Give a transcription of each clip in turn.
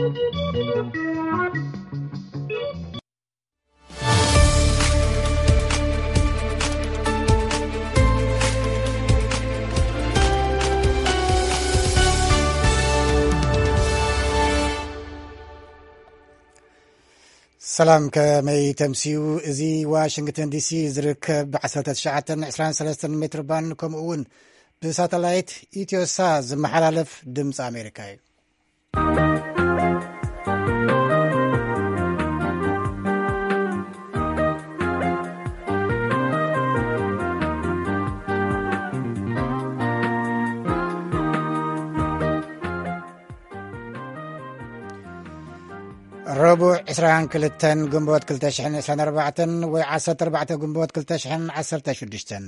ሰላም፣ ከመይ ተምስዩ? እዚ ዋሽንግተን ዲሲ ዝርከብ ብ ዓሰርተ ትሽዓተን ዕስራን ሰለስተን ሜትር ባንድ፣ ከምኡ እውን ብሳተላይት ኢትዮሳ ዝመሓላለፍ ድምፂ ኣሜሪካ እዩ። ረቡዕ ዕስራን ክልተን ግንቦት ክልተ ሽሕን ዕስራን ኣርባዕተን ወይ ዓሰርተ ኣርባዕተ ግንቦት ክልተ ሽሕን ዓሰርተ ሽዱሽተን፣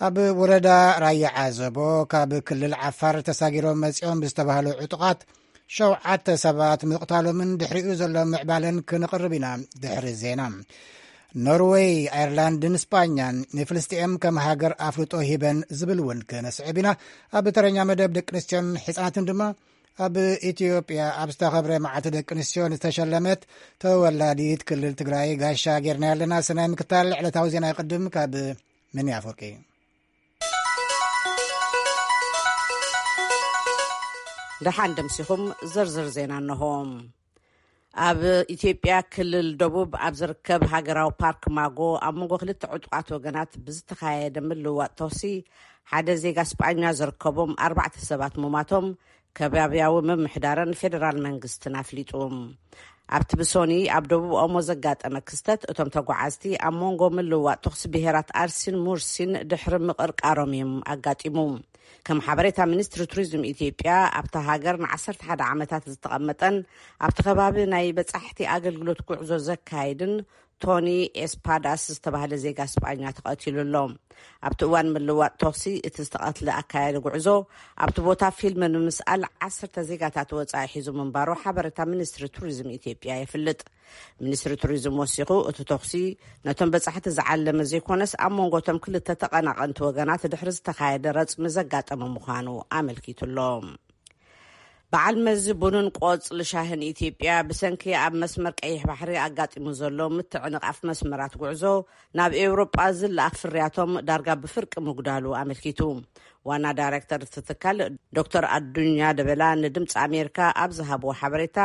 ኣብ ወረዳ ራያ ዓዘቦ ካብ ክልል ዓፋር ተሳጊሮም መጺኦም ብዝተባህሉ ዕጡቓት ሸውዓተ ሰባት ምቕታሎምን ድሕሪኡ ዘሎ ምዕባለን ክነቕርብ ኢና። ድሕሪ ዜና፣ ኖርወይ፣ ኣየርላንድን ስጳኛን ንፍልስጤም ከም ሃገር ኣፍልጦ ሂበን ዝብል እውን ክነስዕብ ኢና። ኣብ ተረኛ መደብ ደቂ ኣንስትዮን ሕፃናትን ድማ ኣብ ኢትዮጵያ ኣብ ዝተኸብረ መዓልቲ ደቂ ኣንስትዮ ዝተሸለመት ተወላዲት ክልል ትግራይ ጋሻ ጌርና ኣለና። ሰናይ ምክታል ዕለታዊ ዜና ይቕድም። ካብ መኒ ኣፈወርቂ። ደሓን ደምሲኹም። ዝርዝር ዜና እንሆ። ኣብ ኢትዮጵያ ክልል ደቡብ ኣብ ዝርከብ ሃገራዊ ፓርክ ማጎ ኣብ መንጎ ክልተ ዕጡቓት ወገናት ብዝተኻየደ ምልውዋጥ ተኹሲ ሓደ ዜጋ ስጳኛ ዝርከቦም ኣርባዕተ ሰባት ምሟቶም ከባብያዊ ምምሕዳርን ፌደራል መንግስትን ኣፍሊጡ። ኣብቲ ብሶኒ ኣብ ደቡብ ኦሞ ዘጋጠመ ክስተት፣ እቶም ተጓዓዝቲ ኣብ መንጎ ምልውዋጥ ተኹሲ ብሄራት ኣርሲን ሙርሲን ድሕሪ ምቕርቃሮም እዮም ኣጋጢሙ። ከም ሓበሬታ ሚኒስትሪ ቱሪዝም ኢትዮጵያ፣ ኣብታ ሃገር ንዓሰርተ ሓደ ዓመታት ዝተቐመጠን ኣብቲ ከባቢ ናይ በጻሕቲ ኣገልግሎት ጉዕዞ ዘካይድን ቶኒ ኤስፓዳስ ዝተባህለ ዜጋ ስጳኛ ተቐቲሉ ኣሎ። ኣብቲ እዋን ምልዋጥ ተኹሲ፣ እቲ ዝተቐትለ ኣካያዲ ጉዕዞ ኣብቲ ቦታ ፊልም ንምስኣል ዓሰርተ ዜጋታት ወጻኢ ሒዙ ምንባሩ ሓበሬታ ሚኒስትሪ ቱሪዝም ኢትዮጵያ የፍልጥ። ሚኒስትሪ ቱሪዝም ወሲኹ፣ እቲ ተኹሲ ነቶም በጻሕቲ ዝዓለመ ዘይኮነስ፣ ኣብ መንጎ እቶም ክልተ ተቐናቐንቲ ወገናት ድሕሪ ዝተኻየደ ረጽሚ ዘጋጠመ ምዃኑ ኣመልኪቱ ኣሎ። በዓል መዚ ቡንን ቆጽሊ ሻህን ኢትዮጵያ፣ ብሰንኪ ኣብ መስመር ቀይሕ ባሕሪ ኣጋጢሙ ዘሎ ምትዕንቓፍ መስመራት ጉዕዞ፣ ናብ ኤውሮጳ ዝለኣኽ ፍርያቶም ዳርጋ ብፍርቂ ምጉዳሉ ኣመልኪቱ። ዋና ዳይሬክተር እቲ ትካል ዶክተር ኣዱኛ ደበላ ንድምፂ ኣሜሪካ ኣብ ዝሃብዎ ሓበሬታ፣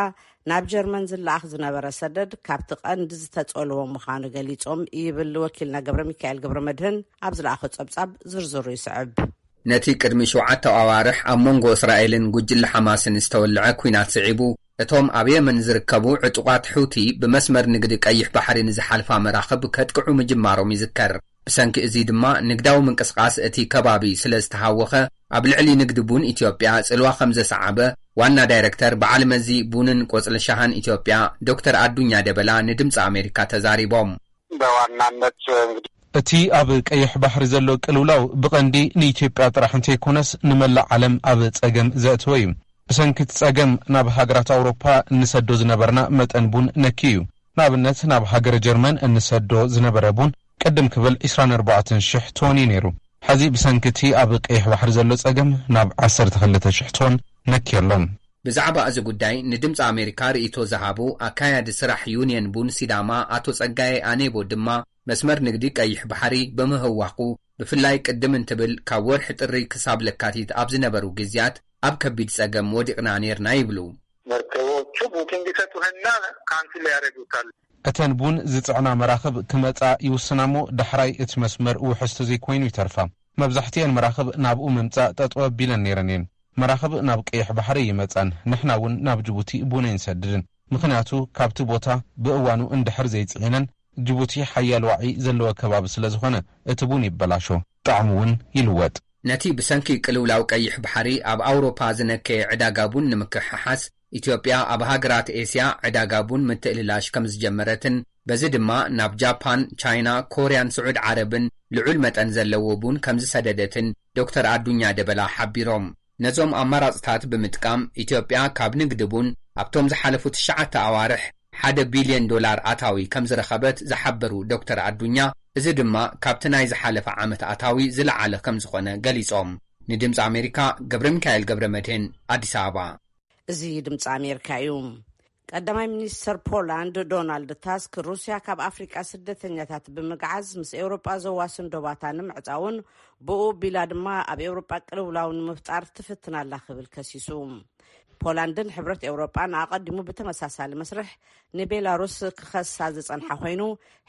ናብ ጀርመን ዝለኣኽ ዝነበረ ሰደድ ካብቲ ቀንዲ ዝተጸልዎ ምዃኑ ገሊጾም ይብል ወኪልና ገብረ ሚካኤል ገብረ መድህን ኣብ ዝለኣኾ ጸብጻብ። ዝርዝሩ ይስዕብ። ነቲ ቅድሚ ሸውዓተ ኣዋርሕ ኣብ መንጎ እስራኤልን ጉጅለ ሓማስን ዝተወልዐ ኲናት ስዒቡ፣ እቶም ኣብ የመን ዝርከቡ ዕጡቓት ሑቲ ብመስመር ንግዲ ቀይሕ ባሕሪ ንዝሓልፋ መራኽብ ከጥቅዑ ምጅማሮም ይዝከር። ብሰንኪ እዚ ድማ ንግዳዊ ምንቅስቓስ እቲ ከባቢ ስለ ዝተሃወኸ፣ ኣብ ልዕሊ ንግዲ ቡን ኢትዮጵያ ጽልዋ ከም ዘሰዓበ ዋና ዳይረክተር በዓል መዚ ቡንን ቆጽሊ ሻሃን ኢትዮጵያ ዶክተር ኣዱኛ ደበላ ንድምፂ ኣሜሪካ ተዛሪቦም። በዋናነት እንግዲህ እቲ ኣብ ቀይሕ ባሕሪ ዘሎ ቅልውላው ብቐንዲ ንኢትዮጵያ ጥራሕ እንተይኮነስ ንመላእ ዓለም ኣብ ጸገም ዘእተወ እዩ። ብሰንኪ እቲ ጸገም ናብ ሃገራት ኣውሮፓ እንሰዶ ዝነበርና መጠን ቡን ነኪ እዩ። ንኣብነት ናብ ሃገረ ጀርመን እንሰዶ ዝነበረ ቡን ቅድም ክብል ዕስራን ኣርባዕተን ሽሕ ቶን እዩ ነይሩ። ሕዚ ብሰንኪ እቲ ኣብ ቀይሕ ባሕሪ ዘሎ ጸገም ናብ ዓሰርተ ክልተ ሽሕ ቶን ነኪ ኣሎ። ብዛዕባ እዚ ጉዳይ ንድምፂ ኣሜሪካ ርእይቶ ዝሃቡ ኣካያዲ ስራሕ ዩንየን ቡን ሲዳማ ኣቶ ጸጋዬ ኣኔቦ ድማ መስመር ንግዲ ቀይሕ ባሕሪ ብምህዋኹ፣ ብፍላይ ቅድም እንትብል ካብ ወርሒ ጥሪ ክሳብ ለካቲት ኣብ ዝነበሩ ግዜያት ኣብ ከቢድ ጸገም ወዲቕና ኔርና ይብሉ። መርከቦቹ ቡኪንግ ይሰጡህና ካንስል ያደርጉታል። እተን ቡን ዝጽዕና መራኽብ ክመጻ ይውስና እሞ ዳሕራይ እቲ መስመር ውሕስቲ ዘይኮይኑ ይተርፋ። መብዛሕትኤን መራኽብ ናብኡ ምምጻእ ጠጠው ኣቢለን ነይረን እየን። መራኽብ ናብ ቀይሕ ባሕሪ ይመጻን ንሕና እውን ናብ ጅቡቲ ቡን ኣይንሰድድን። ምኽንያቱ ካብቲ ቦታ ብእዋኑ እንድሕር ዘይጽዒነን ጅቡቲ ሓያል ዋዒ ዘለዎ ከባቢ ስለ ዝኾነ እቲ ቡን ይበላሾ፣ ጣዕሙ እውን ይልወጥ። ነቲ ብሰንኪ ቅልውላው ቀይሕ ባሕሪ ኣብ ኣውሮፓ ዝነከየ ዕዳጋ ቡን ንምክሕሓስ ኢትዮጵያ ኣብ ሃገራት ኤስያ ዕዳጋ ቡን ምትእልላሽ ከም ዝጀመረትን በዚ ድማ ናብ ጃፓን፣ ቻይና፣ ኮርያን ስዑድ ዓረብን ልዑል መጠን ዘለዎ ቡን ከም ዝሰደደትን ዶክተር ኣዱኛ ደበላ ሓቢሮም። ነዞም ኣማራፅታት ብምጥቃም ኢትዮጵያ ካብ ንግዲ ቡን ኣብቶም ዝሓለፉ ትሽዓተ ኣዋርሕ ሓደ ቢልዮን ዶላር ኣታዊ ከም ዝረኸበት ዝሓበሩ ዶክተር ኣዱኛ፣ እዚ ድማ ካብቲ ናይ ዝሓለፈ ዓመት ኣታዊ ዝለዓለ ከም ዝኾነ ገሊፆም። ንድምፂ ኣሜሪካ ገብረ ሚካኤል ገብረ መድህን፣ ኣዲስ ኣበባ። እዚ ድምፂ ኣሜሪካ እዩ። ቀዳማይ ሚኒስተር ፖላንድ ዶናልድ ታስክ፣ ሩስያ ካብ ኣፍሪቃ ስደተኛታት ብምግዓዝ ምስ ኤውሮጳ ዘዋስን ዶባታ ንምዕጻውን ብኡ ቢላ ድማ ኣብ ኤውሮጳ ቅልውላው ንምፍጣር ትፍትን ኣላ ክብል ከሲሱ። ፖላንድን ሕብረት ኤውሮጳን ኣቐዲሙ ብተመሳሳሊ መስርሕ ንቤላሩስ ክኸሳ ዝጸንሓ ኮይኑ፣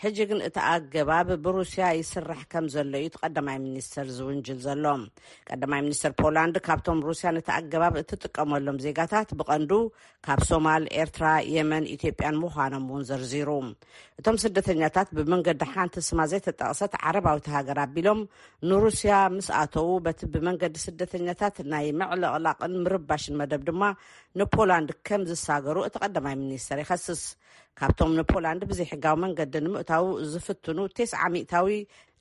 ሕጂ ግን እቲ ኣገባብ ብሩስያ ይስራሕ ከም ዘሎ እዩ እቲ ቀዳማይ ሚኒስተር ዝውንጅል ዘሎ። ቀዳማይ ሚኒስተር ፖላንድ፣ ካብቶም ሩስያ ነቲ ኣገባብ እትጥቀመሎም ዜጋታት ብቐንዱ ካብ ሶማል፣ ኤርትራ፣ የመን፣ ኢትዮጵያን ምዃኖም እውን ዘርዚሩ። እቶም ስደተኛታት ብመንገዲ ሓንቲ ስማ ዘይተጠቕሰት ዓረባዊት ሃገር ኣቢሎም ንሩስያ ምስ ኣተዉ፣ በቲ ብመንገዲ ስደተኛታት ናይ ምዕልቕላቕን ምርባሽን መደብ ድማ ንፖላንድ ከም ዝሳገሩ እቲ ቀዳማይ ሚኒስተር ይኸስስ። ካብቶም ንፖላንድ ብዘይሕጋዊ መንገዲ ንምእታው ዝፍትኑ ተስዓ ሚእታዊ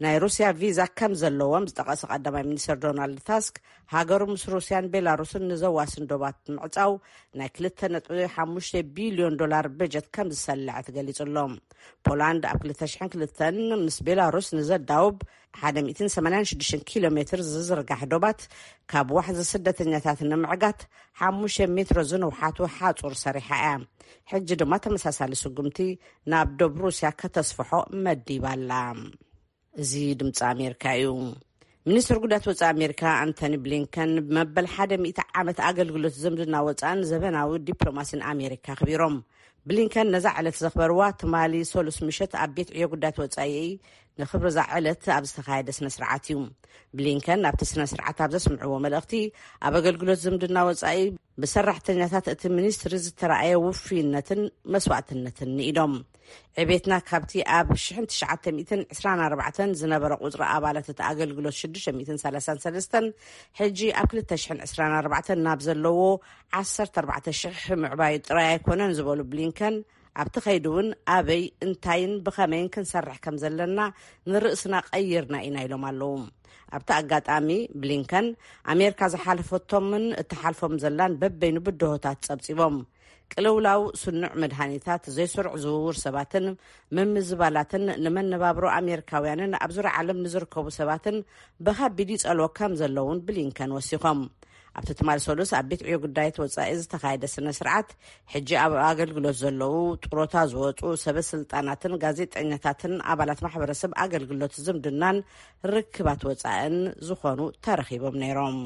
ናይ ሩስያ ቪዛ ከም ዘለዎም ዝጠቐሰ ቀዳማይ ሚኒስተር ዶናልድ ታስክ፣ ሃገሩ ምስ ሩስያን ቤላሩስን ንዘዋስን ዶባት ምዕጻው ናይ ክልተ ነጥቢ ሓሙሽተ ቢልዮን ዶላር በጀት ከም ዝሰለዐት ገሊጹ ኣሎ። ፖላንድ ኣብ ክልተ ሽሕን ክልተን ምስ ቤላሩስ ንዘዳውብ ሓደ ሚእትን ሰማንያን ሽዱሽተን ኪሎ ሜትር ዝዝርጋሕ ዶባት ካብ ዋሕዚ ስደተኛታት ንምዕጋት ሓሙሽተ ሜትሮ ዝንውሓቱ ሓጹር ሰሪሓ እያ። ሕጂ ድማ ተመሳሳሊ ስጉምቲ ናብ ዶብ ሩስያ ከተስፍሖ መዲባ ኣላ። እዚ ድምፂ ኣሜሪካ እዩ። ሚኒስትር ጉዳያት ወፃኢ ኣሜሪካ ኣንቶኒ ብሊንከን መበል ሓደ ሚእቲ ዓመት ኣገልግሎት ዝምድና ወፃእን ዘበናዊ ዲፕሎማሲን ኣሜሪካ ኣኽቢሮም። ብሊንከን ነዛ ዕለት ዘኽበርዋ ትማሊ ሰሉስ ምሸት ኣብ ቤት ዕዮ ጉዳያት ወፃኢ ንኽብሪ እዛ ዕለት ኣብ ዝተኻየደ ስነ ስርዓት እዩ። ብሊንከን ኣብቲ ስነ ስርዓት ኣብ ዘስምዕዎ መልእኽቲ፣ ኣብ ኣገልግሎት ዝምድና ወፃኢ ብሰራሕተኛታት እቲ ሚኒስትሪ ዝተራእየ ውፍይነትን መስዋእትነትን ንኢዶም። ዕቤትና ካብቲ ኣብ ሽሕን ትሽዓተ ሚእትን ዕስራን ኣርባዕተን ዝነበረ ቁጽሪ ኣባላት እቲ ኣገልግሎት ሽዱሽተ ሚእትን ሰላሳን ሰለስተን፣ ሕጂ ኣብ ክልተ ሽሕን ዕስራን ኣርባዕተን ናብ ዘለዎ ዓሰርተ ኣርባዕተ ሽሕ ምዕባዩ ጥራይ ኣይኮነን ዝበሉ ብሊንከን፣ ኣብቲ ኸይዲ እውን ኣበይ፣ እንታይን ብኸመይን ክንሰርሕ ከም ዘለና ንርእስና ቀይርና ኢና ኢሎም ኣለዉ። ኣብቲ ኣጋጣሚ ብሊንከን፣ ኣሜሪካ ዝሓለፈቶምን እትሓልፎም ዘላን በበይኑ ብድሆታት ጸብጺቦም። ቅልውላው፣ ስኑዕ መድሃኒታት፣ ዘይስሩዕ ዝውውር ሰባትን ምምዝባላትን ንመነባብሮ ኣሜሪካውያንን ኣብ ዙርያ ዓለም ንዝርከቡ ሰባትን ብኸቢድ ይጸልዎ ከም ዘለውን ብሊንከን ወሲኾም። ኣብቲ ትማል ሰሉስ ኣብ ቤት ዕዮ ጉዳያት ወጻኢ ዝተኻየደ ስነ ስርዓት፣ ሕጂ ኣብ ኣገልግሎት ዘለዉ፣ ጥሮታ ዝወጹ ሰበ ስልጣናትን ጋዜጠኛታትን ኣባላት ማሕበረሰብ ኣገልግሎት ዝምድናን ርክባት ወጻእን ዝኾኑ ተረኺቦም ነይሮም።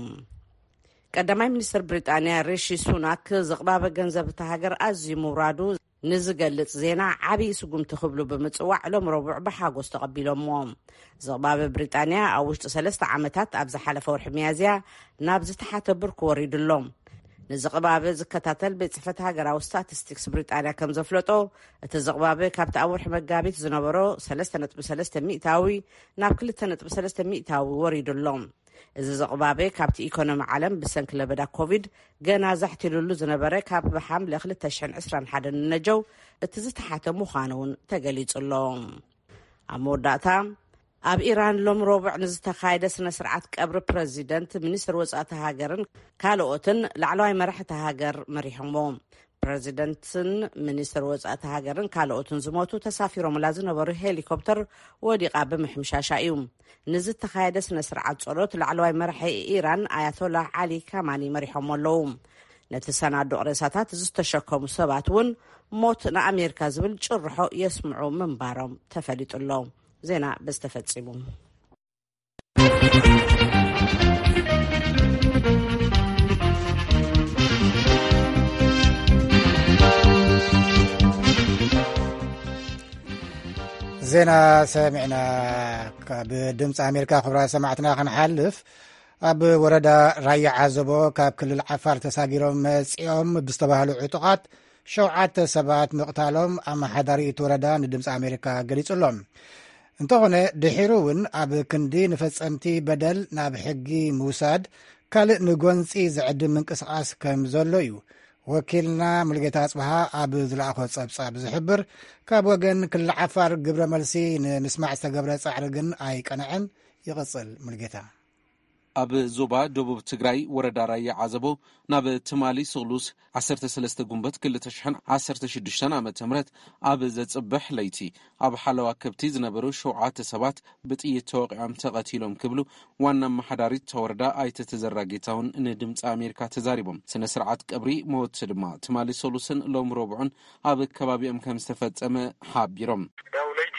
ቀዳማይ ሚኒስትር ብሪጣንያ ሪሺ ሱናክ፣ ዝቕባበ ገንዘብ እታ ሃገር ኣዝዩ ምውራዱ ንዝገልጽ ዜና ዓብዪ ስጉምቲ ክብሉ ብምጽዋዕ፣ ሎም ረቡዕ ብሓጎስ ተቐቢሎምዎ። ዝቕባበ ብሪጣንያ ኣብ ውሽጢ ሰለስተ ዓመታት ኣብ ዝሓለፈ ወርሒ ሚያዝያ ናብ ዝተሓተ ብርኪ ወሪዱ ኣሎ። ንዝቕባበ ዝከታተል ቤት ጽሕፈት ሃገራዊ ስታቲስቲክስ ብሪጣንያ ከም ዘፍለጦ፣ እቲ ዝቕባበ ካብቲ ኣብ ወርሒ መጋቢት ዝነበሮ ሰለስተ ነጥቢ ሰለስተ ሚእታዊ ናብ ክልተ ነጥቢ ሰለስተ ሚእታዊ ወሪዱ ኣሎ። እዚ ዝቕባበ ካብቲ ኢኮኖሚ ዓለም ብሰንኪ ለበዳ ኮቪድ ገና ዛሕቲሉሉ ዝነበረ ካብ ሓምለ ክልተ ሽሕን ዕስራን ሓደን ንነጀው እቲ ዝተሓተ ምዃኑ እውን ተገሊጹ ኣሎ። ኣብ መወዳእታ፣ ኣብ ኢራን ሎም ረቡዕ ንዝተኻየደ ስነ ስርዓት ቀብሪ ፕረዚደንት፣ ሚኒስትር ወጻእቲ ሃገርን ካልኦትን ላዕለዋይ መራሕቲ ሃገር መሪሖምዎ። ፕረዚደንትን ሚኒስትር ወጻእቲ ሃገርን ካልኦትን ዝሞቱ ተሳፊሮምላ ዝነበሩ ሄሊኮፕተር ወዲቓ ብምሕምሻሻ እዩ። ንዝተኻየደ ስነ ስርዓት ጸሎት ላዕለዋይ መራሒ ኢራን ኣያቶላ ዓሊ ካማኒ መሪሖም ኣለዉ። ነቲ ሰናዱቕ ሬሳታት ዝተሸከሙ ሰባት እውን ሞት ንኣሜሪካ ዝብል ጭርሖ የስምዑ ምንባሮም ተፈሊጡ ኣሎ። ዜና በዚ ተፈጺሙ። ዜና ሰሚዕና። ካብ ድምፂ ኣሜሪካ ክብራ ሰማዕትና ክንሓልፍ፣ ኣብ ወረዳ ራያ ዓዘቦ ካብ ክልል ዓፋር ተሳጊሮም መፂኦም ብዝተባህሉ ዕጡቓት ሸውዓተ ሰባት ምቕታሎም ኣመሓዳሪ እቲ ወረዳ ንድምፂ ኣሜሪካ ገሊጹ ኣሎ። እንተኾነ፣ ድሒሩ እውን ኣብ ክንዲ ንፈጸምቲ በደል ናብ ሕጊ ምውሳድ ካልእ ንጎንጺ ዝዕድም ምንቅስቓስ ከም ዘሎ እዩ ወኪልና ሙልጌታ ኣጽብሃ ኣብ ዝለኣኾ ጸብጻብ ዝሕብር። ካብ ወገን ክልል ዓፋር ግብረ መልሲ ንምስማዕ ዝተገብረ ጻዕሪ ግን ኣይቀንዐን። ይቕጽል ሙልጌታ። ኣብ ዞባ ደቡብ ትግራይ ወረዳ ራያ ዓዘቦ ናብ ትማሊ ስቕሉስ ዓሰርተ ሰለስተ ጉንበት ክልተ ሽሕን ዓሰርተ ሽዱሽተን ዓመተ ምህረት ኣብ ዘጽብሕ ለይቲ ኣብ ሓለዋ ከብቲ ዝነበሩ ሸውዓተ ሰባት ብጥይት ተወቒዖም ተቐቲሎም ክብሉ ዋና ኣመሓዳሪት እታ ወረዳ ኣይተ ተዘራ ጌታሁን ንድምፂ ኣሜሪካ ተዛሪቦም። ስነ ስርዓት ቀብሪ መወቲ ድማ ትማሊ ሰሉስን ሎም ረቡዕን ኣብ ከባቢኦም ከም ዝተፈጸመ ሓቢሮም። ያው ለይቲ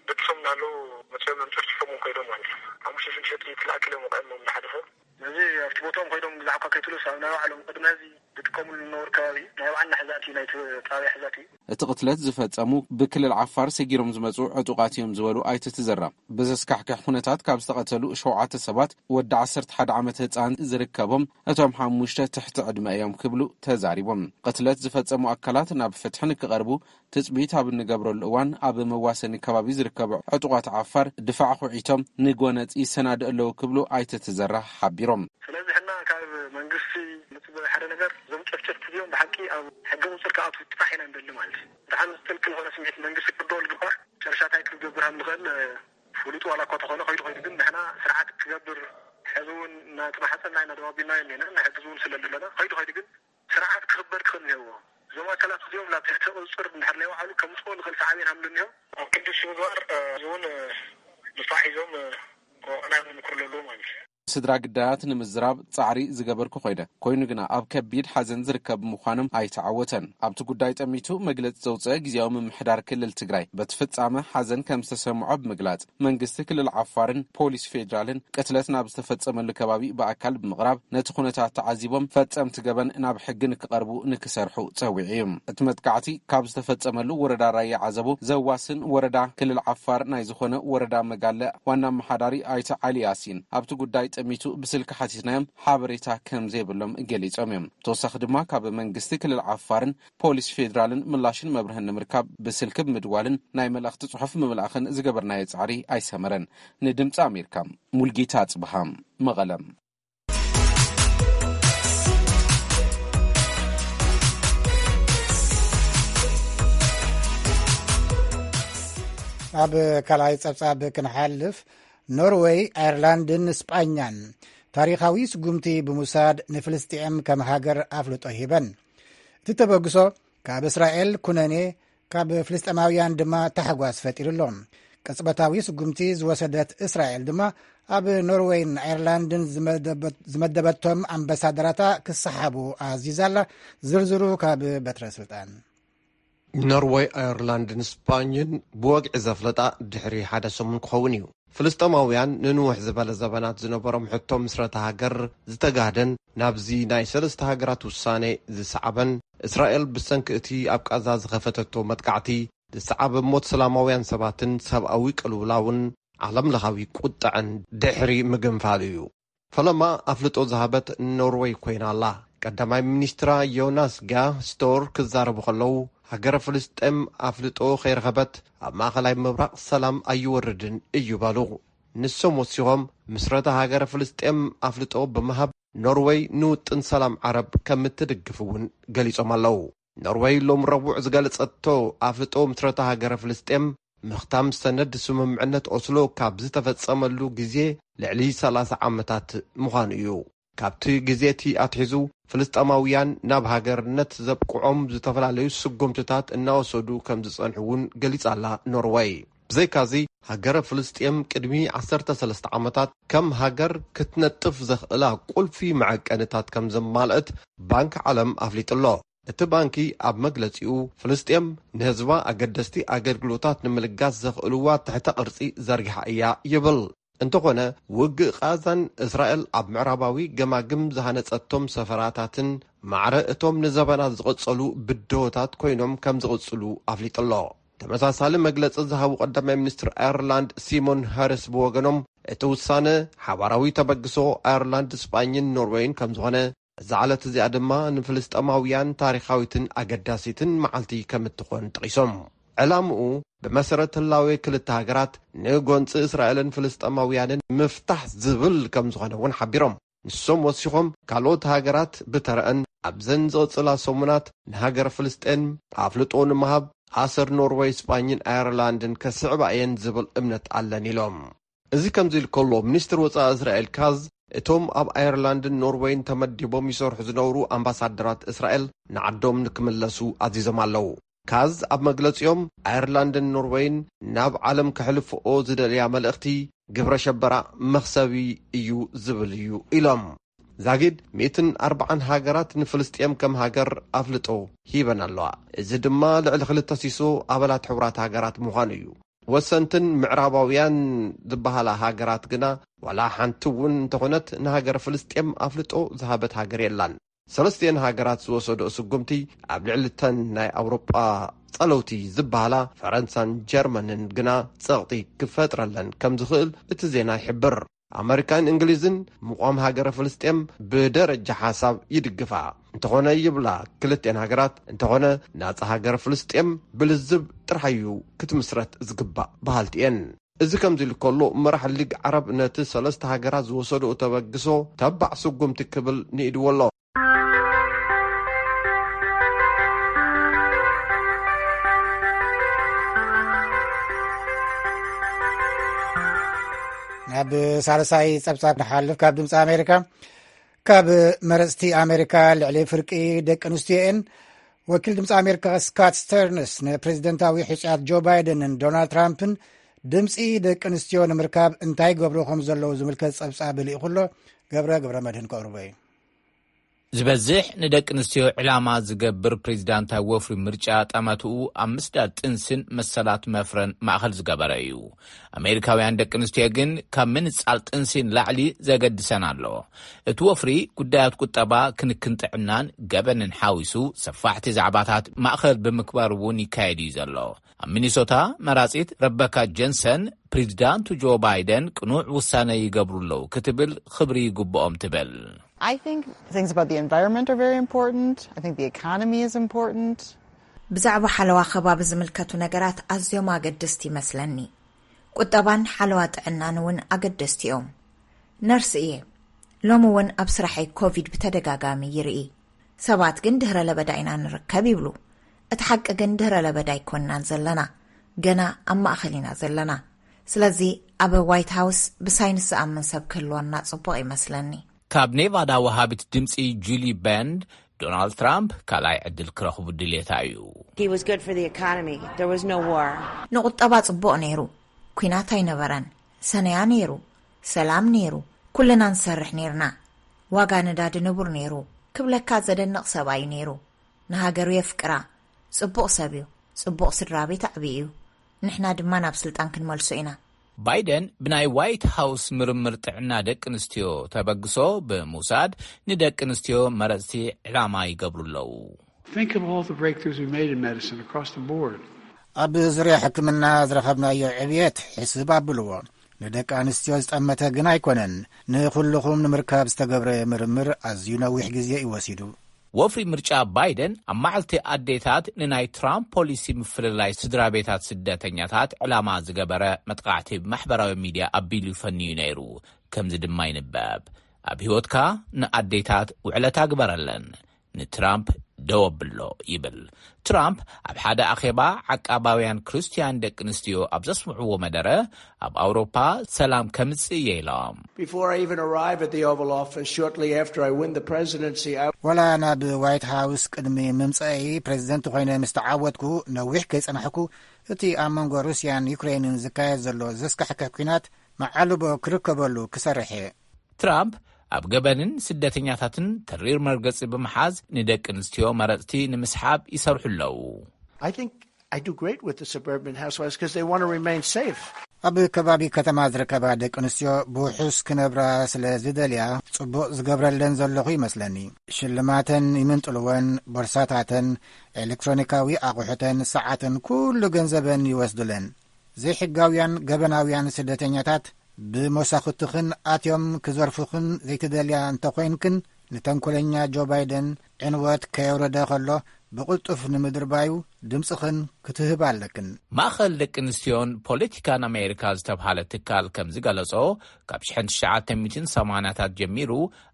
ደቅሶም እናለዉ መፅኦም እዮም ጨፍጭፎም ከይዶም ማለት እዩ። ሓሙሽተ ሽዱሽተ ጥይት ላእክሎም ቀድሞም ንሓደ ሰብ። እዚ ኣብቲ ቦታኦም ኮይዶም ብዛዕባ ከይትሉስ ኣብ ናይ ባዕሎም ቅድሚ ሕዚ ዝጥቀምሉ ዝነበሩ ከባቢ ናይ ባዕልና ሕዛእቲ ናይቲ ጣብያ ሕዛእቲ እዩ። እቲ ቅትለት ዝፈጸሙ ብክልል ዓፋር ሰጊሮም ዝመጹ ዕጡቓት እዮም ዝበሉ ኣይተ ተዘራ፣ ብዘስካሕክሕ ኩነታት ካብ ዝተቐተሉ ሸውዓተ ሰባት ወዲ ዓሰርተ ሓደ ዓመት ህጻን ዝርከቦም እቶም ሓሙሽተ ትሕቲ ዕድመ እዮም ክብሉ ተዛሪቦም። ቅትለት ዝፈጸሙ ኣካላት ናብ ፍትሒ ንክቐርቡ ትጽቢት ኣብ እንገብረሉ እዋን ኣብ መዋሰኒ ከባቢ ዝርከቡ ዕጡቓት ዓፋር ድፋዕ ኩዒቶም ንጎነጽ ይሰናድኡ ኣለዉ ክብሉ ኣይተ ተዘራ ሓቢሮም። ስለዚ ሕና ካብ መንግስቲ ንጽበ ሓደ ነገር እዞም ጨፍጨፍቲ እዚኦም ብሓቂ ኣብ ሕጊ ቁጽር ክኣትዉ ጥራሕ ኢና ንደሊ ማለት እዩ። ደሓን ዝጥልቅል ዝኾነ ስምዒት መንግስቲ ክርድኦ ዝግባእ ጨርሻ እንታይ ክገብር ከም ዝኽእል ፍሉጥ ዋላ እኳ ተኾነ ከይዱ ከይዱ ግን ንሕና ስርዓት ክገብር ሕዚ እውን እናተማሓፀና ኢና ደዋቢልናዮ እኒና ንሕግዝ እውን ስለ ዘለና ከይዱ ከይዱ ግን ስርዓት ክኽበር ክኽእል እኒሀዎ። እዞም ኣካላት እዚኦም ናብ ትሕቲ ቁፅፅር እንድሕር ናይ ባዕሉ ከምፅኦ ንኽእል ሳዕቤን ሃምሉ እኒሆ። ኣብ ክንዲ ሽግባር እውን ድፋዕ ሒዞም ክወቕዕና ንምክር ኣለዎ ማለት እዩ። ስድራ ግዳያት ንምዝራብ ጻዕሪ ዝገበርኩ ኮይደ፣ ኮይኑ ግና ኣብ ከቢድ ሓዘን ዝርከብ ምዃኖም ኣይተዓወተን። ኣብቲ ጉዳይ ጠሚቱ መግለጺ ዘውፅአ ግዜያዊ ምምሕዳር ክልል ትግራይ በቲ ፍጻመ ሓዘን ከም ዝተሰምዖ ብምግላጽ መንግስቲ ክልል ዓፋርን ፖሊስ ፌዴራልን ቅትለት ናብ ዝተፈጸመሉ ከባቢ ብኣካል ብምቕራብ ነቲ ኩነታት ተዓዚቦም ፈጸምቲ ገበን ናብ ሕጊ ንክቐርቡ ንክሰርሑ ጸዊዑ እዩ። እቲ መጥቃዕቲ ካብ ዝተፈጸመሉ ወረዳ ራያ ዓዘቦ ዘዋስን ወረዳ ክልል ዓፋር ናይ ዝኾነ ወረዳ መጋለ ዋና ኣመሓዳሪ ኣይተ ዓሊ ያሲን ኣብቲ ጉዳይ ጠሚቱ ብስልኪ ሓቲትናዮም ሓበሬታ ከም ዘይብሎም ገሊጾም እዮም። ተወሳኺ ድማ ካብ መንግስቲ ክልል ዓፋርን ፖሊስ ፌዴራልን ምላሽን መብርህን ንምርካብ ብስልኪ ብምድዋልን ናይ መልእኽቲ ጽሑፍ ምምላእኽን ዝገበርናዮ ጻዕሪ ኣይሰመረን። ንድምፂ ኣሜሪካ ሙልጌታ ኣጽብሃ መቐለ። ኣብ ካልኣይ ጸብጻብ ክንሓልፍ፣ ኖርወይ፣ ኣየርላንድን ስጳኛን ታሪኻዊ ስጉምቲ ብምውሳድ ንፍልስጤም ከም ሃገር ኣፍልጦ ሂበን። እቲ ተበግሶ ካብ እስራኤል ኩነኔ፣ ካብ ፍልስጤማውያን ድማ ታሕጓስ ፈጢሩ ኣሎ። ቅጽበታዊ ስጉምቲ ዝወሰደት እስራኤል ድማ ኣብ ኖርወይን ኣየርላንድን ዝመደበት-፣ ዝመደበቶም ኣምባሳደራታ ክሰሓቡ ኣዚዛ ኣላ። ዝርዝሩ ካብ በትረ ስልጣን። ኖርወይ፣ ኣየርላንድን ስጳኝን ብወግዒ ዘፍለጣ ድሕሪ ሓደ ሰሙን ክኸውን እዩ። ፍልስጤማውያን ንንውሕ ዝበለ ዘበናት ዝነበሮም ሕቶ ምስረታ ሃገር ዝተጋህደን ናብዚ ናይ ሰለስተ ሃገራት ውሳኔ ዝሰዓበን፣ እስራኤል ብሰንኪ እቲ ኣብ ቃዛ ዝኸፈተቶ መጥቃዕቲ ዝሰዓበ ሞት ሰላማውያን ሰባትን ሰብኣዊ ቅልውላውን ዓለምለኻዊ ቁጥዐን ድሕሪ ምግንፋሉ እዩ። ፈለማ ኣፍልጦ ዝሃበት ኖርወይ ኮይና ኣላ። ቀዳማይ ሚኒስትራ ዮናስ ጋ ስቶር ክዛረቡ ከለዉ፣ ሃገረ ፍልስጤም ኣፍልጦ ከይረኸበት ኣብ ማእኸላይ ምብራቕ ሰላም ኣይወርድን እዩ በሉ። ንሶም ወሲኾም፣ ምስረታ ሃገረ ፍልስጤም ኣፍልጦ ብምሃብ፣ ኖርወይ ንውጥን ሰላም ዓረብ ከም እትድግፍ እውን ገሊጾም ኣለዉ። ኖርወይ ሎም ረቡዕ ዝገለጸቶ ኣፍልጦ ምስረታ ሃገረ ፍልስጤም ምኽታም ሰነድ ስምምዕነት ኦስሎ ካብ ዝተፈጸመሉ ግዜ ልዕሊ ሰላሳ ዓመታት ምዃኑ እዩ። ካብቲ ግዜ እቲ ኣትሒዙ ፍልስጤማውያን ናብ ሃገርነት ዘብቅዖም ዝተፈላለዩ ስጉምትታት እናወሰዱ ከም ዝጸንሑ እውን ገሊጻ ኣላ ኖርወይ። ብዘይካዚ፣ ሃገረ ፍልስጤም ቅድሚ ዓሰርተ ሰለስተ ዓመታት ከም ሃገር ክትነጥፍ ዘኽእላ ቁልፊ መዐቀንታት ከም ዘማልአት ባንክ ዓለም ኣፍሊጡ ኣሎ። እቲ ባንኪ ኣብ መግለጺኡ፣ ፍልስጤም ንህዝባ ኣገደስቲ ኣገልግሎታት ንምልጋስ ዘኽእልዋ ትሕተ ቅርጺ ዘርጊሓ እያ ይብል። እንተኾነ፣ ውግእ ቓዛን እስራኤል ኣብ ምዕራባዊ ገማግም ዝሃነጸቶም ሰፈራታትን ማዕረ እቶም ንዘበናት ዝቐጸሉ ብድሆታት ኮይኖም ከም ዝቕጽሉ ኣፍሊጡ ኣሎ። ተመሳሳሊ መግለጺ ዝሃቡ ቀዳማይ ሚኒስትር ኣየርላንድ ሲሞን ሃሪስ ብወገኖም፣ እቲ ውሳነ ሓባራዊ ተበግሶ ኣየርላንድ፣ ስጳኝን ኖርወይን ከም ዝኾነ፣ እዛ ዕለት እዚኣ ድማ ንፍልስጤማውያን ታሪኻዊትን ኣገዳሲትን መዓልቲ ከም እትኾን ጠቒሶም፣ ዕላምኡ ብመሰረት ህላዌ ክልተ ሃገራት ንጎንፂ እስራኤልን ፍልስጤማውያንን ምፍታሕ ዝብል ከም ዝኾነ እውን ሓቢሮም። ንሶም ወሲኾም፣ ካልኦት ሃገራት ብተረአን ኣብዘን ዝቕጽላ ሰሙናት ንሃገር ፍልስጤም ኣፍልጦ ንምሃብ ኣሰር ኖርወይ፣ ስጳኝን ኣየርላንድን ከስዕባ እየን ዝብል እምነት ኣለን ኢሎም። እዚ ከምዚ ኢሉ ከሎ፣ ሚኒስትር ወጻኢ እስራኤል ካዝ እቶም ኣብ ኣየርላንድን ኖርወይን ተመዲቦም ይሰርሑ ዝነበሩ ኣምባሳደራት እስራኤል ንዓዶም ንክምለሱ ኣዚዞም ኣለዉ። ካዝ ኣብ መግለጺኦም፣ ኣየርላንድን ኖርወይን ናብ ዓለም ከሕልፍኦ ዝደልያ መልእኽቲ፣ ግብረ ሸበራ መኽሰቢ እዩ ዝብል እዩ ኢሎም። ዛጊድ ሚእትን ኣርባዓን ሃገራት ንፍልስጤም ከም ሃገር ኣፍልጦ ሂበን ኣለዋ። እዚ ድማ ልዕሊ ክልተ ሲሶ ኣባላት ሕቡራት ሃገራት ምዃኑ እዩ። ወሰንትን ምዕራባውያን ዝበሃላ ሃገራት ግና ዋላ ሓንቲ እውን እንተኾነት ንሃገር ፍልስጤም ኣፍልጦ ዝሃበት ሃገር የላን። ሰለስቲኤን ሃገራት ዝወሰድኦ ስጉምቲ ኣብ ልዕሊ እተን ናይ ኣውሮጳ ጸለውቲ ዝበሃላ ፈረንሳን ጀርመንን ግና ጸቕጢ ክፈጥረለን ከም ዝኽእል እቲ ዜና ይሕብር። ኣመሪካን እንግሊዝን ምቋም ሃገረ ፍልስጤም ብደረጃ ሓሳብ ይድግፋ። እንተኾነ ይብላ ክልቲኤን ሃገራት፣ እንተኾነ ናጻ ሃገረ ፍልስጤም ብልዝብ ጥራሕ እዩ ክትምስረት ዝግባእ በሃልቲ እየን። እዚ ከምዚ ኢሉ ከሎ፣ መራሕ ሊግ ዓረብ ነቲ ሰለስተ ሃገራት ዝወሰድኦ ተበግሶ ተባዕ ስጉምቲ ክብል ንኢድዎ ኣሎ። ናብ ሳልሳይ ጸብጻብ ንሓልፍ። ካብ ድምፂ ኣሜሪካ፣ ካብ መረፅቲ ኣሜሪካ ልዕሊ ፍርቂ ደቂ ኣንስትዮ እየን። ወኪል ድምፂ ኣሜሪካ ስካት ስተርንስ ንፕሬዚደንታዊ ሕፁያት ጆ ባይደንን ዶናልድ ትራምፕን ድምፂ ደቂ ኣንስትዮ ንምርካብ እንታይ ገብሩ ከም ዘለዉ ዝምልከት ጸብጻብ ልኢኹ ኣሎ። ገብረ ገብረ መድህን ከቕርቦ እዩ። ዝበዝሕ ንደቂ ኣንስትዮ ዕላማ ዝገብር ፕሬዚዳንታዊ ወፍሪ ምርጫ ጠመትኡ ኣብ ምስዳድ ጥንስን መሰላት መፍረን ማእኸል ዝገበረ እዩ። ኣሜሪካውያን ደቂ ኣንስትዮ ግን ካብ ምንጻል ጥንሲ ንላዕሊ ዘገድሰን ኣሎ። እቲ ወፍሪ ጉዳያት ቁጠባ፣ ክንክን ጥዕናን ገበንን ሓዊሱ ሰፋሕቲ ዛዕባታት ማእኸል ብምግባር እውን ይካየድ እዩ ዘሎ። ኣብ ሚኒሶታ መራጺት ረበካ ጀንሰን ፕሬዚዳንቱ ጆ ባይደን ቅኑዕ ውሳነ ይገብሩ ኣለዉ ክትብል ክብሪ ይግብኦም ትብል። I think things about the environment are very important. I think the economy is important. ብዛዕባ ሓለዋ ከባቢ ዝምልከቱ ነገራት ኣዝዮም ኣገደስቲ ይመስለኒ። ቁጠባን ሓለዋ ጥዕናን እውን ኣገደስቲ እዮም። ነርስ እየ። ሎሚ እውን ኣብ ስራሐይ ኮቪድ ብተደጋጋሚ ይርኢ። ሰባት ግን ድህረ ለበዳ ኢና ንርከብ ይብሉ። እቲ ሓቂ ግን ድህረ ለበዳ ኣይኮንናን ዘለና፣ ገና ኣብ ማእኸል ኢና ዘለና። ስለዚ ኣብ ዋይት ሃውስ ብሳይንስ ዝኣምን ሰብ ክህልወና ጽቡቕ ይመስለኒ። ካብ ኔቫዳ ወሃቢት ድምፂ ጁሊ በንድ፣ ዶናልድ ትራምፕ ካልኣይ ዕድል ክረኽቡ ድሌታ እዩ። He was good for the economy. There was no war. ንቁጠባ ጽቡቕ ነይሩ። ኲናት ኣይነበረን። ሰነያ ነይሩ። ሰላም ነይሩ። ኩልና ንሰርሕ ነይርና። ዋጋ ነዳዲ ንቡር ነይሩ። ክብለካ ዘደንቕ ሰብኣይ እዩ ነይሩ። ንሃገሩ የፍቅራ። ጽቡቕ ሰብ እዩ። ጽቡቕ ስድራ ቤት ኣዕብዩ እዩ። ንሕና ድማ ናብ ስልጣን ክንመልሶ ኢና። ባይደን ብናይ ዋይት ሃውስ ምርምር ጥዕና ደቂ ኣንስትዮ ተበግሶ ብምውሳድ፣ ንደቂ ኣንስትዮ መረፅቲ ዕላማ ይገብሩ ኣለዉ። Think of all the breakthroughs we've made in medicine across the board. ኣብ ዙርያ ሕክምና ዝረኸብናዮ ዕብየት ሕስብ ኣብልዎ። ንደቂ ኣንስትዮ ዝጠመተ ግን ኣይኮነን። ንኹልኹም ንምርካብ ዝተገብረ ምርምር ኣዝዩ ነዊሕ ግዜ እዩ ወሲዱ። ወፍሪ ምርጫ ባይደን ኣብ መዓልቲ ኣዴታት ንናይ ትራምፕ ፖሊሲ ምፍልላይ ስድራ ቤታት ስደተኛታት ዕላማ ዝገበረ መጥቃዕቲ ብማሕበራዊ ሚድያ ኣቢሉ ፈንዩ ነይሩ። ከምዚ ድማ ይንበብ፣ ኣብ ህይወትካ ንኣዴታት ውዕለታ ግበረለን፣ ንትራምፕ ደው ኣብሎ ይብል። ትራምፕ ኣብ ሓደ ኣኼባ ዓቃባውያን ክርስትያን ደቂ ኣንስትዮ ኣብ ዘስምዕዎ መደረ፣ ኣብ ኣውሮፓ ሰላም ከምጽእ እየ ኢሎም። Before I even arrive at the Oval Office, shortly after I win the presidency, I ወላ ናብ ዋይት ሃውስ ቅድሚ ምምፀኣይ ፕሬዚደንት ኮይነ ምስ ተዓወትኩ ነዊሕ ከይፀናሕኩ እቲ ኣብ መንጎ ሩስያን ዩክሬንን ዝካየድ ዘሎ ዘስካሕክሕ ኲናት መዓልቦ ክርከበሉ ክሰርሕ እየ። ትራምፕ ኣብ ገበንን ስደተኛታትን ተሪር መርገጺ ብምሓዝ ንደቂ ኣንስትዮ መረጽቲ ንምስሓብ ይሰርሑ ኣለዉ። I think I do great with the suburban housewives because they want to remain safe. ኣብ ከባቢ ከተማ ዝርከባ ደቂ ኣንስትዮ ብውሑስ ክነብራ ስለ ዝደልያ ጽቡቕ ዝገብረለን ዘለኹ ይመስለኒ። ሽልማተን ይምንጥልወን፣ ቦርሳታተን፣ ኤሌክትሮኒካዊ ኣቑሑተን፣ ሰዓተን፣ ኩሉ ገንዘበን ይወስዱለን። ዘይሕጋውያን ገበናውያን ስደተኛታት ብመሳኹትኽን ኣትዮም ክዘርፉኽን ዘይትደልያ እንተኾይንክን፣ ንተንኮለኛ ጆ ባይደን ዕንወት ከየውረደ ከሎ ብቕልጡፍ ንምድርባዩ ድምፅኽን ክትህባ ኣለክን። ማእኸል ደቂ ኣንስትዮን ፖለቲካን ኣሜሪካ ዝተብሃለ ትካል ከም ዝገለጾ፣ ካብ ሽሕን ትሽዓተ ሚእትን ሰማንያታት ጀሚሩ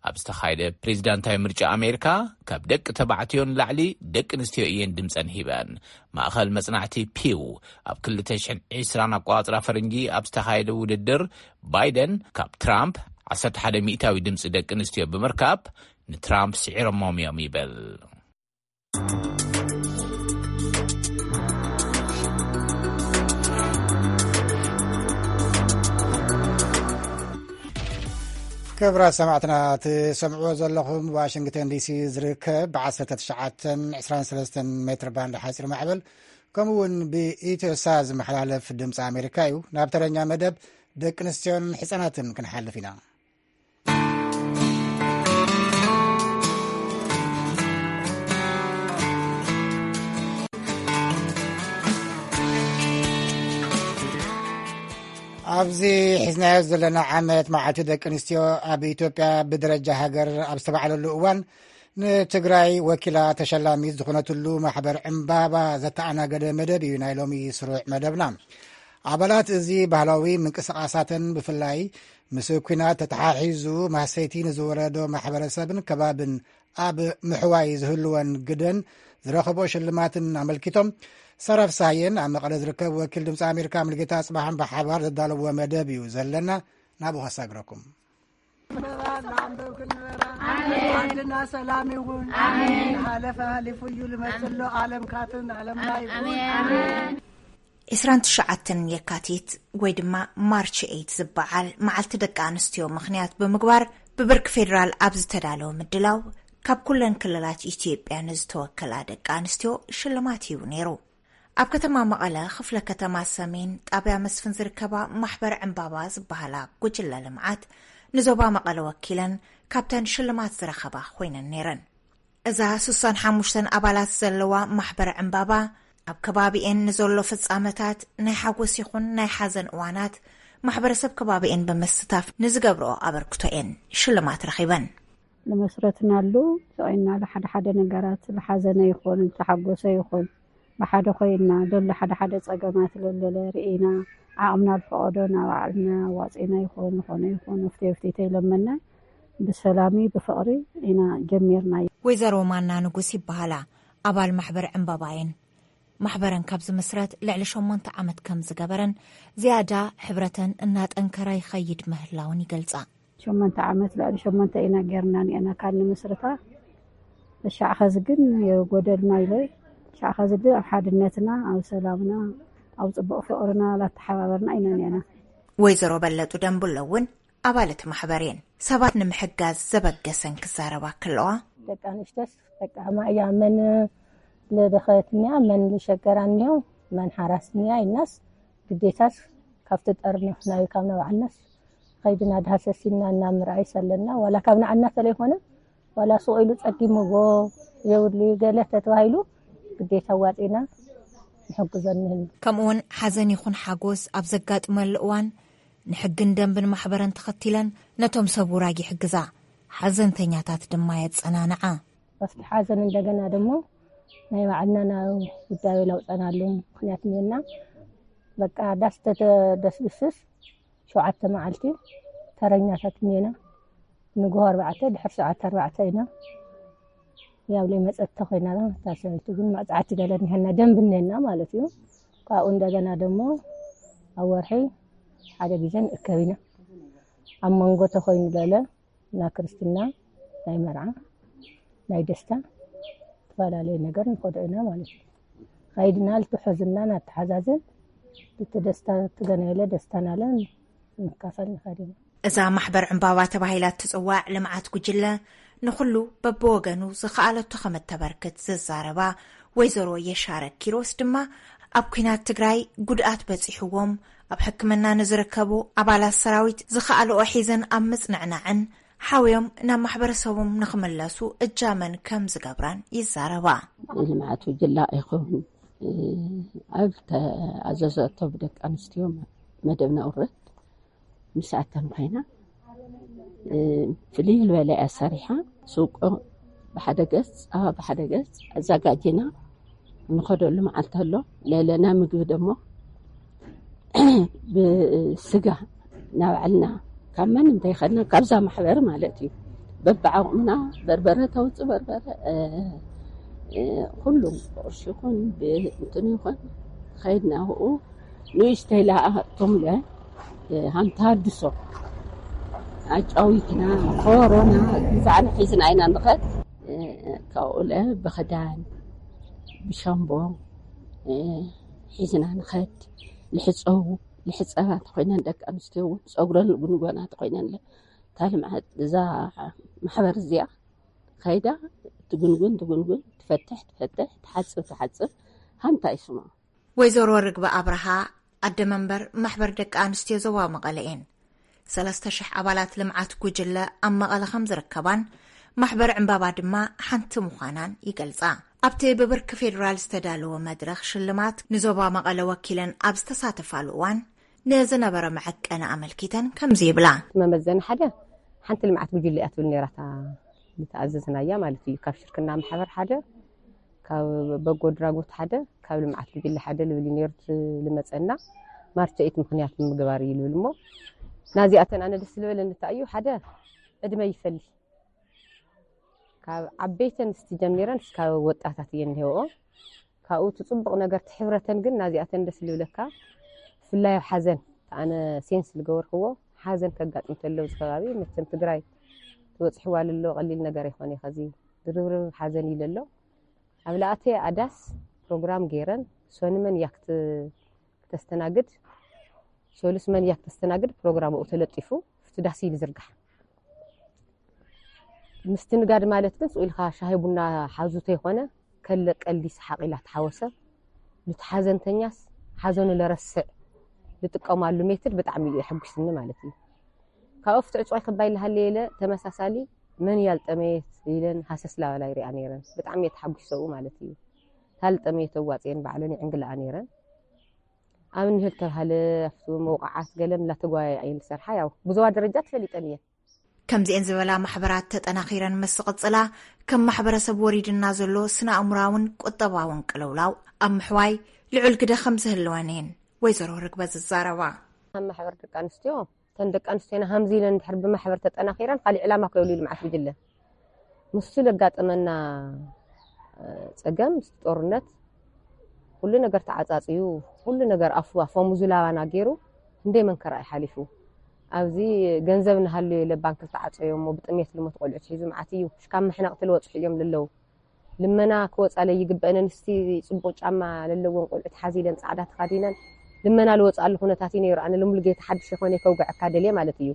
ኣብ ዝተኻየደ ፕሬዚዳንታዊ ምርጫ ኣሜሪካ፣ ካብ ደቂ ተባዕትዮ ንላዕሊ ደቂ ኣንስትዮ እየን ድምፀን ሂበን። ማእኸል መጽናዕቲ ፒው ኣብ ክልተ ሽሕን ዕስራን ኣቆጻጽራ ፈረንጂ ኣብ ዝተኻየደ ውድድር፣ ባይደን ካብ ትራምፕ ዓሰርተ ሓደ ሚእታዊ ድምፂ ደቂ ኣንስትዮ ብምርካብ ንትራምፕ ስዒሮሞም እዮም ይብል። ክብራት ሰማዕትና፣ ትሰምዕዎ ዘለኹም ዋሽንግተን ዲሲ ዝርከብ ብ19 23 ሜትር ባንድ ሓፂር ማዕበል፣ ከምኡ እውን ብኢትዮሳ ዝመሓላለፍ ድምፂ ኣሜሪካ እዩ። ናብ ተረኛ መደብ ደቂ ኣንስትዮን ህፃናትን ክንሓልፍ ኢና። ኣብዚ ሒዝናዮ ዘለና ዓመት መዓልቲ ደቂ ኣንስትዮ ኣብ ኢትዮጵያ ብደረጃ ሃገር ኣብ ዝተባዕለሉ እዋን፣ ንትግራይ ወኪላ ተሸላሚት ዝኾነትሉ ማሕበር ዕምባባ ዘተኣናገደ መደብ እዩ ናይ ሎሚ ስሩዕ መደብና። ኣባላት እዚ ባህላዊ ምንቅስቃሳትን ብፍላይ ምስ ኲናት ተተሓሒዙ ማህሰይቲ ንዝወረዶ ማሕበረሰብን ከባብን ኣብ ምሕዋይ ዝህልወን ግደን ዝረኸቦ ሽልማትን ኣመልኪቶም፣ ሰራፍ ሳየን ኣብ መቐለ ዝርከብ ወኪል ድምፂ ኣሜሪካ ሙልጌታ ኣጽባሕን ብሓባር ዘዳለዎ መደብ እዩ ዘለና። ናብኡ ከሳግረኩም። ዓድና ሰላም ይሁን። ሓለፈ ሓሊፉ እዩ ልመፅሎ ዓለም ካትን ዓለም ላይ ይሁን። 29 የካቲት ወይ ድማ ማርች ኤይት ዝበዓል መዓልቲ ደቂ ኣንስትዮ ምኽንያት ብምግባር፣ ብብርኪ ፌዴራል ኣብ ዝተዳለወ ምድላው፣ ካብ ኩለን ክልላት ኢትዮጵያ ንዝተወከላ ደቂ ኣንስትዮ ሽልማት ሂቡ ነይሩ። ኣብ ከተማ መቐለ፣ ክፍለ ከተማ ሰሜን፣ ጣብያ መስፍን ዝርከባ ማሕበር ዕምባባ ዝበሃላ ጉጅለ ልምዓት፣ ንዞባ መቐለ ወኪለን ካብተን ሽልማት ዝረኸባ ኮይነን ነይረን። እዛ ስሳን ሓሙሽተን ኣባላት ዘለዋ ማሕበር ዕምባባ፣ ኣብ ከባቢኤን ንዘሎ ፍጻመታት፣ ናይ ሓጎስ ይኹን ናይ ሓዘን እዋናት፣ ማሕበረሰብ ከባቢኤን ብምስታፍ ንዝገብርኦ ኣበርክቶ እየን ሽልማት ረኺበን። ንመስረትናሉ፣ ስቕ ኢልና ሓደ ሓደ ነገራት፣ ዝሓዘነ ይኹን፣ ዝተሓጎሰ ይኹን፣ ብሓደ ኮይንና፣ ዘሎ ሓደ ሓደ ጸገማት ለለለ ርኢና፣ ዓቕምና ዝፈቐዶ እናባዕልና ዋጺና ይኹን፣ ዝኾነ ይኹን፣ ወፍተይ ወፍተይተይ ኢሎመና፣ ብሰላሚ ብፍቕሪ ኢና ጀሚርናዮ። ወይዘሮ ማና ንጉስ ይበሃላ። ኣባል ማሕበር ዕምባባ እየን። ማሕበረን ካብ ዝምስረት ልዕሊ ሸሞንተ ዓመት ከም ዝገበረን፣ ዝያዳ ሕብረተን እናጠንከራ ይኸይድ ምህላውን ይገልጻ። ሸሞንተ ዓመት፣ ልዕሊ ሸሞንተ ኢና ጌርና ኒአና ካብ ንምስርታ። እሻዕ ኸዚ ግን የጎደልና ኢለ፣ እሻዕ ኸዚ ግን ኣብ ሓድነትና፣ ኣብ ሰላምና፣ ኣብ ጽቡቕ ፍቕርና ላተሓባበርና ኢና ኒአና። ወይዘሮ በለጡ ደንብሎ እውን ኣባል እቲ ማሕበር እየን። ሰባት ንምሕጋዝ ዘበገሰን ክዛረባ ከለዋ፣ ደቂ ኣንሽቶስ በቃ ማእያ መን ልደኸየት እኒኣ፣ መን ልሸገራ እኒኦ፣ መን ሓራስ እኒኣ ኢልናስ ግዴታስ ካብቲ ጠርነፍናዮ ካብ ናባዕልናስ ኸይድና ድሃሰሲና እናምርኣይ ሰለና፣ ዋላ ካብ ንዓና ተለይኮነ፣ ዋላ ሱቕ ኢሉ ጸጊምዎ የብሉ ገለ ተተባሂሉ ግዴታ ዋጺና ንሕግዞ እኒህና። ከምኡ እውን ሓዘን ይኹን ሓጎስ ኣብ ዘጋጥመሉ እዋን ንሕግን ደንብን ማሕበረን ተኸቲለን ነቶም ሰብ ውራግ ይሕግዛ፣ ሓዘንተኛታት ድማ የጸናንዓ። ኣብቲ ሓዘን እንደገና ደሞ ናይ ባዕልና ናብ ጉዳዩ ለውጠናሉ ምክንያት እኒአና። በቃ ዳስ ተተደስብስስ ሸውዓተ መዓልቲ ተረኛታት እኒአና። ንግሆ ኣርባዕተ፣ ድሕሪ ሸውዓተ ኣርባዕተ ኢና። ያው ለይ መጸት ተኾይና፣ እታ ሰበይቲ ግን መቕጻዕቲ ገለ እኒሀና፣ ደንብ እኒአና ማለት እዩ። ካብኡ እንደገና ደሞ ኣብ ወርሒ ሓደ ግዜ ንእከብ ኢና። ኣብ መንጎ ተኾይኑ ለለ፣ ናይ ክርስትና፣ ናይ መርዓ፣ ናይ ደስታ፣ ዝተፈላለየ ነገር ንኸዶ ኢና ማለት እዩ። ኸይድና ልትሑዝና ናተሓዛዘን፣ እቲ ደስታ ትገናየለ ደስታ ናለን ንካፈል ንኸድ ኢና። እዛ ማሕበር ዕምባባ ተባሂላ እትጽዋዕ ልምዓት ጉጅለ፣ ንኹሉ በብወገኑ ዝኸኣለቶ ከም እተበርክት ዝዛረባ ወይዘሮ የሻረ ኪሮስ ድማ፣ ኣብ ኲናት ትግራይ ጉድኣት በጺሕዎም ኣብ ሕክምና ንዝርከቡ ኣባላት ሰራዊት ዝኸኣልኦ ሒዘን ኣብ ምጽንዕናዕን ሓውዮም ናብ ማሕበረሰቦም ንኽምለሱ እጃመን ከም ዝገብራን ይዛረባ። ልምዓት ጉጅለ ኣይኸውን፣ ኣብ ተኣዘዘቶ ብደቂ ኣንስትዮ መደብና ውረት ምስኣተን ኮይና፣ እ፣ ፍልይ ዝበለ እያ ሰሪሓ። ሱቆ ብሓደ ገጽ፣ ጸባ ብሓደ ገጽ ኣዘጋጂና ንኸደሉ መዓልቲ ኣሎ። ለለና ምግቢ ደሞ ብስጋ ናባዕልና ካብ መን እንተይኸድና ካብዛ ማሕበር ማለት እዩ። በብዓቕምና በርበረ ተውጽእ በርበረ፣ እ፣ እ፣ ኩሉ ብቕርሺ ይኹን ብእንትን ይኹን ከይድና ኣብኡ ንእሽተይ ለኣኣቶምለ፣ እ፣ ሃም ተሃድሶ ኣጫዊትና ኮሮና ግዛዕና ሒዝና ኢና ንኸድ። ካብኡለ ብኽዳን ብሻምቦ ሒዝና ንኸድ። ልሕፀቡ ልሕፀባ ተኮይነን ደቂ ኣንስትዮ እውን ፀጉረን ልጉንጎና ተኮይነን እታ ልምዓት እዛ ማሕበር እዚኣ ከይዳ ትጉንጉን ትጉንጉን ትፈትሕ ትፈትሕ ትሓፅብ ትሓፅብ። ሃንታ ይስማ። ወይዘሮ ርግበ ኣብርሃ ኣደ መንበር ማሕበር ደቂ ኣንስትዮ ዞባ መቐለ እየን። ሰለስተ ሽሕ ኣባላት ልምዓት ጉጅለ ኣብ መቐለ ከም ዝርከባን ማሕበር ዕምባባ ድማ ሓንቲ ምዃናን ይገልጻ። ኣብቲ ብብርኪ ፌዴራል ዝተዳለወ መድረኽ ሽልማት ንዞባ መቐለ ወኪለን ኣብ ዝተሳተፋሉ እዋን ንዝነበረ መዐቀኒ ኣመልኪተን ከምዚ ይብላ። መመዘኒ ሓደ ሓንቲ ልምዓት ጉጅለ እያ ትብል ነይራታ ዝተኣዘዝናያ ማለት እዩ። ካብ ሽርክና ማሕበር ሓደ፣ ካብ በጎ ድራጎት ሓደ፣ ካብ ልምዓት ጉጅለ ሓደ ልብል እዩ ነይሩ። ዝመፀና ማርቸኢት ምክንያት ንምግባር እዩ ልብል እሞ ናዚኣተን ኣነ ደስ ልበለኒ እንታይ እዩ ሓደ ዕድመ ይፈሊ ካብ ዓበይተን እስቲ ጀሚረን እስካብ ወጣታት እየን እንሄወኦ ካብኡ እቲ ፅቡቕ ነገር እቲ ሕብረተን ግን ናዚኣተን ደስ ልብለካ። ብፍላይ ኣብ ሓዘን ኣነ ሴንስ ዝገበርክዎ ሓዘን ከጋጥም ተሎ ኣብዚ ከባቢ መቸም ትግራይ ትበፅሕዋ ልሎ ቀሊል ነገር ኣይኮነ ከዚ ድርብርብ ሓዘን ይለሎ። ኣብ ላኣተ ኣዳስ ፕሮግራም ገይረን ሶኒ መን እያ ክት- ክተስተናግድ ሶሉስ መን እያ ክተስተናግድ ፕሮግራም ኡ ተለጢፉ ፍቲ ዳስ ይብዝርጋሕ ምስትንጋድ ማለት ግን ስኡ ኢልካ ሻሂ ቡና ሓዙ ተይኮነ ከለ ቀልዲ ሰሓቕ ኢላ ተሓወሰ። ንቲ ሓዘንተኛስ ሓዘኑ ለረስዕ ዝጥቀማሉ ሜትድ ብጣዕሚ እዩ የሐጉስኒ ማለት እዩ። ካብ ፍቲ ዕፅዋይ ክባይ ልሃለ የለ ተመሳሳሊ መን ያልጠመየት ኢለን ሃሰስ ላበላ ይሪኣ ነይረን። ብጣዕሚ እየ ተሓጒሰ ሰብኡ ማለት እዩ። ታልጠመየት ኣዋፅየን ባዕለን ይዕንግላኣ ነይረን። ኣብ እንህል ተባሃለ ኣብቲ መውቃዓት ገለን ላተጓየ እየን ዝሰርሓ ያው ብዙዋ ደረጃ ትፈሊጠን እየን። ከምዚኤን ዝበላ ማሕበራት ተጠናኺረን ምስ ዝቕፅላ ከም ማሕበረሰብ ወሪድና ዘሎ ስነ ኣእምራውን ቁጠባውን ቅልውላው ኣብ ምሕዋይ ልዑል ግደ ከም ዝህልወን እየን ወይዘሮ ርግበ ዝዛረባ። ኣብ ማሕበር ደቂ ኣንስትዮ እተን ደቂ ኣንስትዮና ሃምዚ ኢለን ድሕር ብማሕበር ተጠናኺረን ካሊእ ዕላማ ከየብሉ ልምዓት ጉጅለ ምስቱ ለጋጠመና ፀገም ጦርነት ኩሉ ነገር ተዓፃፅዩ ኩሉ ነገር ኣፉ ኣፎሙ ዝላባና ገይሩ ክንደይ መንከራ እዩ ሓሊፉ። ኣብዚ ገንዘብ ንሃልዮ ኢለ ባንክ ዝተዓፀዮ እሞ ብጥሜት ልሞት ቆልዑት ሒዙ መዓት እዩ። ሽካብ መሕነቕቲ ልወፅሑ እዮም ልለው። ልመና ክወፃ ለይግበአነን እስቲ ፅቡቕ ጫማ ለለዎን ቆልዑት ሓዚለን ፃዕዳ ተኻዲነን ልመና ልወፅኣሉ ኩነታት እዩ ነይሩ። ኣነ ልሙልጌታ ሓድሽ የኾነ ከውግዐካ ደልየ ማለት እዩ።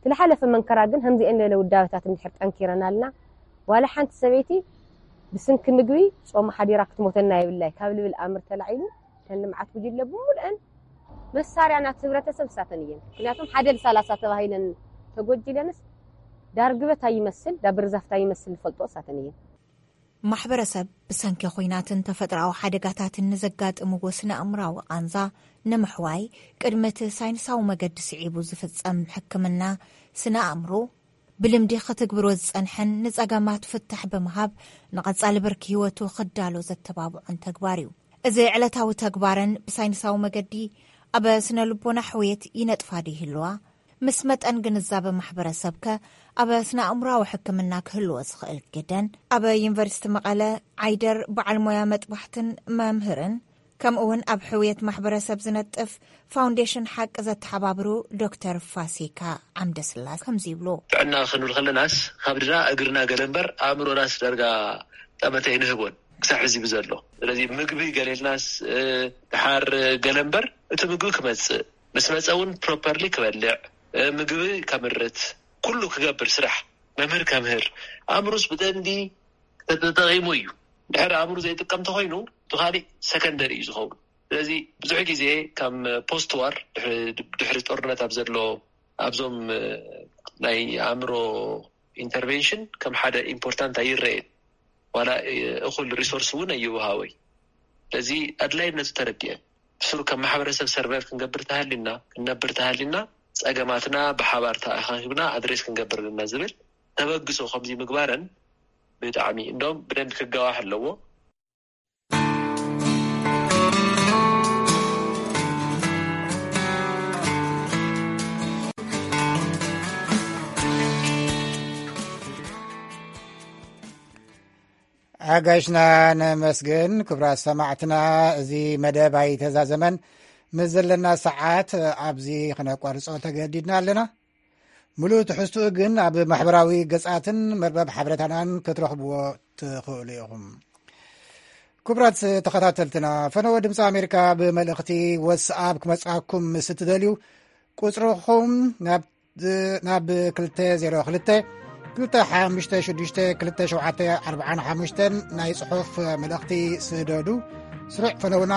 ትልሓለፈ መንከራ ግን ከምዚአን ለለ ውዳበታት እንድሕር ጠንኪረናልና ዋላ ሓንቲ ሰበይቲ ብስንኪ ምግቢ ጾማ ሓዲራ ክትሞተና የብላይ ካብ ልብል ኣምር ተላዒሉ እተን ልምዓት ጉጅለ ብሙሉአን መሳርያ ናት ህብረተሰብ እሳተን እየን። ምክንያቱም ሓደ ል ሰላሳ ተባሂለን ተጎጅለንስ ዳርግበት ኣይመስል ዳብርዛፍት ኣይመስል ዝፈልጦ እሳተን እየን። ማሕበረሰብ ብሰንኪ ኹናትን ተፈጥሮኣዊ ሓደጋታትን ንዘጋጥምዎ ስነ ኣእምራዊ ቃንዛ ንምሕዋይ ቅድሚ እቲ ሳይንሳዊ መገዲ ስዒቡ ዝፍጸም ሕክምና ስነ ኣእምሮ ብልምዲ ክትግብሮ ዝጸንሐን ንጸገማት ፍታሕ ብምሃብ ንቐጻሊ ብርኪ ህይወቱ ክዳሎ ዘተባብዖን ተግባር እዩ። እዚ ዕለታዊ ተግባረን ብሳይንሳዊ መገዲ ኣብ ስነ ልቦና ሕውየት ይነጥፋ ዶ ይህልዋ? ምስ መጠን ግንዛበ ማሕበረሰብከ ኣብ ስነ ኣእምራዊ ሕክምና ክህልዎ ዝኽእል ግደን? ኣብ ዩኒቨርሲቲ መቐለ ዓይደር በዓል ሞያ መጥባሕትን መምህርን ከምኡ እውን ኣብ ሕውየት ማሕበረሰብ ዝነጥፍ ፋውንዴሽን ሓቂ ዘተሓባብሩ ዶክተር ፋሲካ ዓምደስላስ ከምዚ ይብሉ። ጥዕና ክንብል ከለናስ ካብ ድና እግርና ገለ እምበር ኣእምሮናስ ዳርጋ ጠመተ ይንህቦን ክሳብ ሕዚ ብዘሎ ስለዚ ምግቢ ገሌልናስ ድሓር ገለ እምበር እቲ ምግቢ ክመፅእ ምስ መፀ እውን ፕሮፐርሊ ክበልዕ ምግቢ ከምርት ኩሉ ክገብር ስራሕ መምህር ከምህር ኣእምሩስ ብደንዲ ተጠቂሙ እዩ። ድሕር ኣእምሩ ዘይጥቀም ተኮይኑ እቲ ካሊእ ሰከንደሪ እዩ ዝኸውን። ስለዚ ብዙሕ ግዜ ከም ፖስት ዋር ድሕሪ ጦርነት ኣብ ዘሎ ኣብዞም ናይ ኣእምሮ ኢንተርቬንሽን ከም ሓደ ኢምፖርታንት ኣይረኤን ዋላ እኹል ሪሶርስ እውን ኣይወሃወይ። ስለዚ ኣድላይነቱ ተረዲኤን ብስሩ ከም ማሕበረሰብ ሰርቫይቭ ክንገብር ተሃሊና ክንነብር ተሃሊና ፀገማትና ብሓባር ተኣኻኺብና ኣድሬስ ክንገብር ኣለና ዝብል ተበግሶ ከምዚ ምግባረን ብጣዕሚ እንደም ብደንቢ ክጋዋሕ ኣለዎ። ኣጋይሽና ነመስግን። ክብራት ሰማዕትና፣ እዚ መደብ ኣይተዛዘመን። ምስ ዘለና ሰዓት ኣብዚ ክነቋርጾ ተገዲድና ኣለና። ምሉእ ትሕዝትኡ ግን ኣብ ማሕበራዊ ገጻትን መርበብ ሓበሬታናን ክትረኽብዎ ትኽእሉ ኢኹም። ክቡራት ተኸታተልትና፣ ፈነወ ድምፂ ኣሜሪካ ብመልእኽቲ ወትስኣፕ ክመፅኣኩም ምስ እትደልዩ፣ ቁፅርኹም ናብ፣ ናብ ክልተ ዜሮ ክልተ፣ ክልተ ሓሙሽተ ሽዱሽተ፣ ክልተ ሸውዓተ ኣርብዓን ሓሙሽተን ናይ ጽሑፍ መልእኽቲ ስደዱ። ስሩዕ ፈነውና